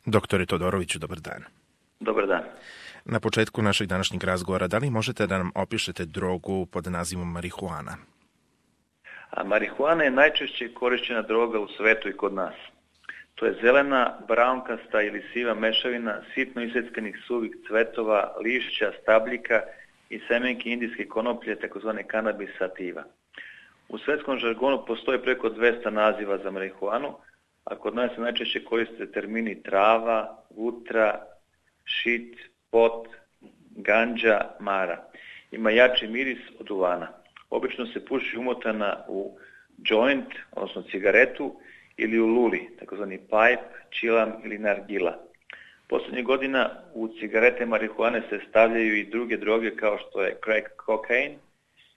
Doktore Todoroviću, dobar dan. Dobar dan. Na početku našeg današnjeg razgovora, da li možete da nam opišete drogu pod nazivom marihuana? Marihuana je najčešće korišćena droga u svetu i kod nas. To je zelena, braunkasta ili siva mešavina sitno iseckanih suvih cvetova, lišća, stabljika i semenki indijske konoplje, takozvane kanabis sativa. U svetskom žargonu postoji preko 200 naziva za marihuanu, a kod nas se najčešće koriste termini trava, vutra, šit, pot, ganđa, mara. Ima jači miris od duvana. Obično se puši umotana u joint, odnosno cigaretu, ili u luli, takozvani pipe, čilam ili nargila. Poslednjih godina u cigarete marihuane se stavljaju i druge droge kao što je crack cocaine,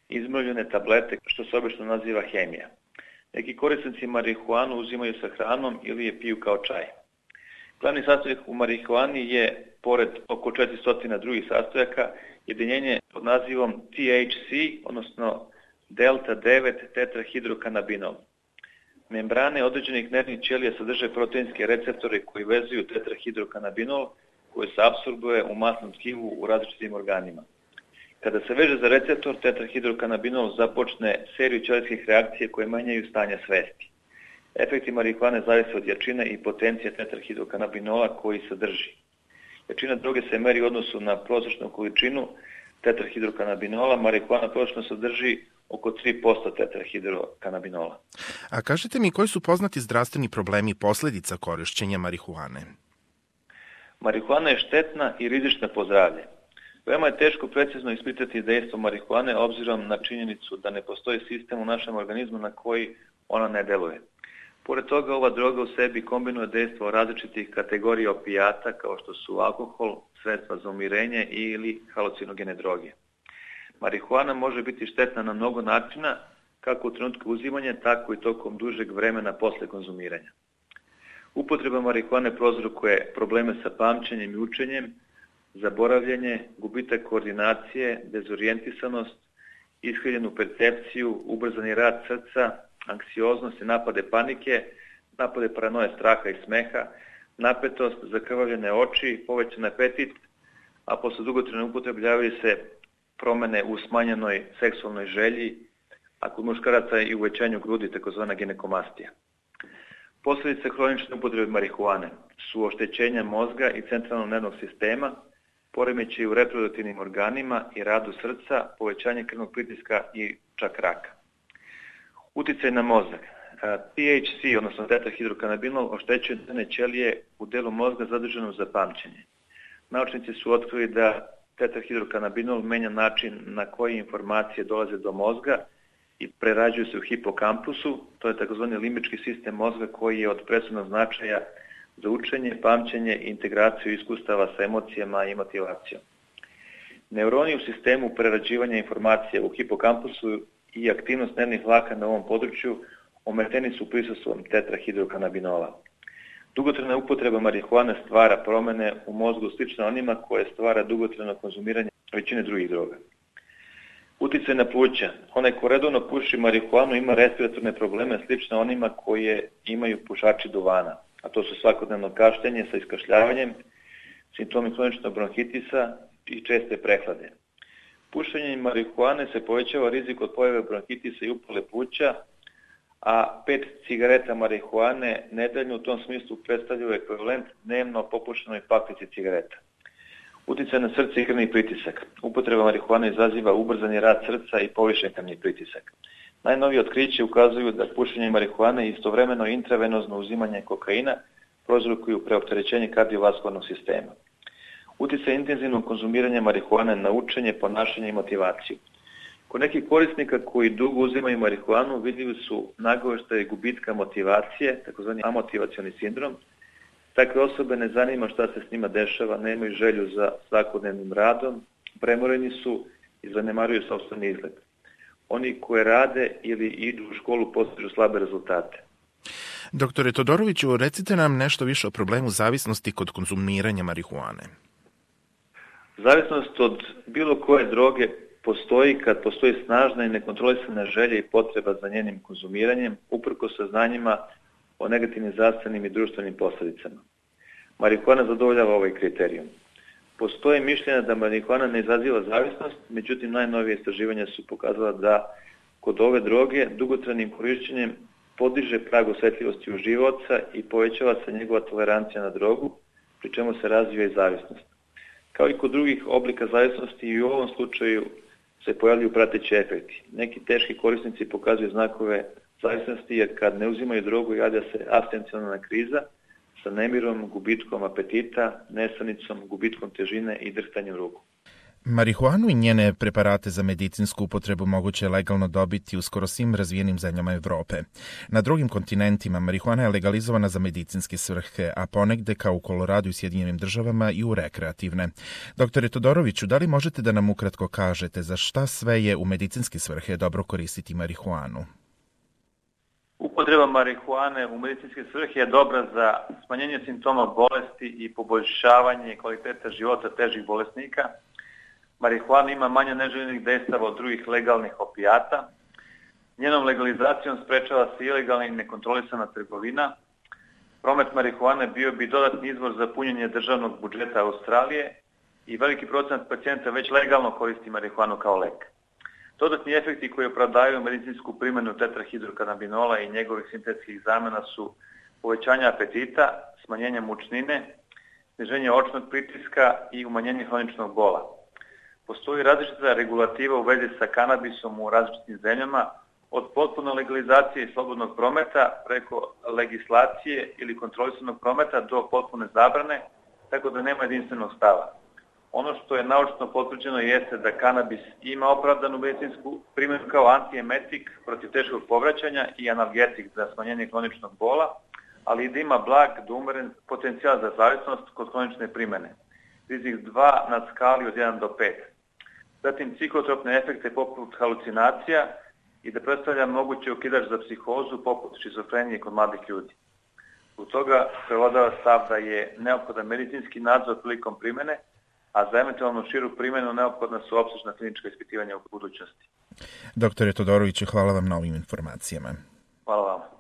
izmrvljene tablete, što se obično naziva hemija. Neki korisnici marihuanu uzimaju sa hranom ili je piju kao čaj. Glavni sastojak u marihuani je, pored oko 400 drugih sastojaka, jedinjenje pod nazivom THC, odnosno delta 9 tetrahidrokanabinol. Membrane određenih nervnih ćelija sadrže proteinske receptore koji vezuju tetrahidrokanabinol koji se apsorbuje u masnom tkivu u različitim organima. Kada se veže za receptor, tetrahidrokanabinol započne seriju ćelijskih reakcija koje menjaju stanje svesti. Efekti marihuane zavise od jačine i potencije tetrahidrokanabinola koji sadrži. Jačina droge se meri u odnosu na prosječnu količinu tetrahidrokanabinola. Marihuana prosječno sadrži oko 3% tetrahidrokanabinola. A kažete mi, koji su poznati zdravstveni problemi posledica korišćenja marihuane? Marihuana je štetna i rizična po zdravlje. Veoma je teško precizno ispitati dejstvo marihuane obzirom na činjenicu da ne postoji sistem u našem organizmu na koji ona ne deluje. Pored toga, ova droga u sebi kombinuje dejstvo različitih kategorija opijata kao što su alkohol, sredstva za umirenje ili halucinogene droge. Marihuana može biti štetna na mnogo načina, kako u trenutku uzimanja, tako i tokom dužeg vremena posle konzumiranja. Upotreba marihuane prouzrokuje probleme sa pamćenjem i učenjem, zaboravljanje, gubitak koordinacije, dezorijentisanost, iskrivljenu percepciju, ubrzani rad srca, anksioznost i napade panike, napade paranoje, straha i smeha, napetost, zakrvavljene oči, povećan apetit, a posle dugotrajne upotrebe javljaju se promene u smanjenoj seksualnoj želji, a kod muškaraca i uvećanju grudi, takozvana ginekomastija. Posledice hronične upotrebe marihuane su oštećenja mozga i centralnog nervnog sistema, poremećaji u reproduktivnim organima i radu srca, povećanje krvnog pritiska i čak raka. Uticaj na mozak. THC, odnosno tetrahidrokanabinol, oštećuje nervne ćelije u delu mozga zaduženom za pamćenje. Naučnici su otkrili da tetrahidrokanabinol menja način na koji informacije dolaze do mozga i prerađuju se u hipokampusu, to je takozvani limbički sistem mozga koji je od presudnog značaja za učenje, pamćenje i integraciju iskustava sa emocijama i motivacijom. Neuroni u sistemu prerađivanja informacija u hipokampusu i aktivnost nervnih vlaka na ovom području ometeni su prisustvom tetrahidrokanabinola. Dugotrajna upotreba marihuane stvara promene u mozgu slično onima koje stvara dugotrajno konzumiranje većine drugih droga. Uticaj na pluća. Onaj ko redovno puši marihuanu ima respiratorne probleme slično onima koje imaju pušači duvana, a to su svakodnevno kašljenje sa iskašljavanjem, simptomi hroničnog bronhitisa i česte prehlade. Pušenjem marihuane se povećava rizik od pojave bronhitisa i upale pluća, a 5 cigareta marihuane nedeljno u tom smislu predstavljaju ekvivalent dnevno popušenoj paklici cigareta. Uticaj na srce i krvni pritisak. Upotreba marihuane izaziva ubrzani rad srca i povišen krvni pritisak. Najnovije otkriće ukazuju da pušenje marihuane i istovremeno intravenozno uzimanje kokaina prouzrokuju preopterećenje kardiovaskularnog sistema. Uticaj intenzivnog konzumiranja marihuane na učenje, ponašanje i motivaciju. Kod nekih korisnika koji dugo uzimaju marihuanu vidljivi su nagoveštaji gubitka motivacije, takozvani amotivacioni sindrom. Takve osobe ne zanima šta se s njima dešava, nemaju želju za svakodnevnim radom, premoreni su i zanemaruju sopstveni izgled. Oni koji rade ili idu u školu postižu slabe rezultate. Doktore Todoroviću, recite nam nešto više o problemu zavisnosti kod konzumiranja marihuane. Zavisnost od bilo koje droge postoji kad postoji snažna i nekontrolisana želja i potreba za njenim konzumiranjem, uprkos saznanjima o negativnim zdravstvenim i društvenim posledicama. Marihuana zadovoljava ovaj kriterijum. Postoje mišljenja da marihuana ne izaziva zavisnost, međutim najnovije istraživanja su pokazala da kod ove droge dugotrajnim korišćenjem podiže prag osjetljivosti uživaoca i povećava se njegova tolerancija na drogu, pri čemu se razvija i zavisnost. Kao i kod drugih oblika zavisnosti i u ovom slučaju se pojavljuju prateći efekti. Neki teški korisnici pokazuju znakove zavisnosti jer kad ne uzimaju drogu javlja se abstencionalna kriza sa nemirom, gubitkom apetita, nesanicom, gubitkom težine i drhtanjem ruku. Marihuanu i njene preparate za medicinsku upotrebu moguće je legalno dobiti u skoro svim razvijenim zemljama Evrope. Na drugim kontinentima marihuana je legalizovana za medicinske svrhe, a ponegde kao u Koloradu i Sjedinjenim državama i u rekreativne. Doktore Todoroviću, da li možete da nam ukratko kažete za šta sve je u medicinske svrhe dobro koristiti marihuanu? Upotreba marihuane u medicinske svrhe je dobra za smanjenje simptoma bolesti i poboljšavanje kvaliteta života težih bolesnika. Marihuana ima manje neželjenih dejstava od drugih legalnih opijata. Njenom legalizacijom sprečava se ilegalna i nekontrolisana trgovina. Promet marihuane bio bi dodatni izvor za punjenje državnog budžeta Australije i veliki procenat pacijenta već legalno koristi marihuanu kao lek. Dodatni efekti koji opravdaju medicinsku primjenu tetrahidrokanabinola i njegovih sintetskih zamena su povećanje apetita, smanjenje mučnine, sniženje očnog pritiska i umanjenje hroničnog bola. Postoji različita regulativa u vezi sa kanabisom u različitim zemljama, od potpune legalizacije i slobodnog prometa preko legislacije ili kontrolisanog prometa do potpune zabrane, tako da nema jedinstvenog stava. Ono što je naučno potvrđeno jeste da kanabis ima opravdanu medicinsku primjenu kao antiemetik protiv teškog povraćanja i analgetik za smanjenje hroničnog bola, ali i da ima blag do umeren potencijal za zavisnost kod hronične primjene. Rizik 2 na skali od 1 do 5. Zatim psihotropne efekte poput halucinacija i da predstavlja mogući okidač za psihozu poput šizofrenije kod mladih ljudi. Zbog toga prevladava stav da je neophodan medicinski nadzor prilikom primjene, a za eventualno širu primjenu neophodna su opsežna klinička ispitivanja u budućnosti. Doktore Todoroviću, hvala vam na ovim informacijama. Hvala vam.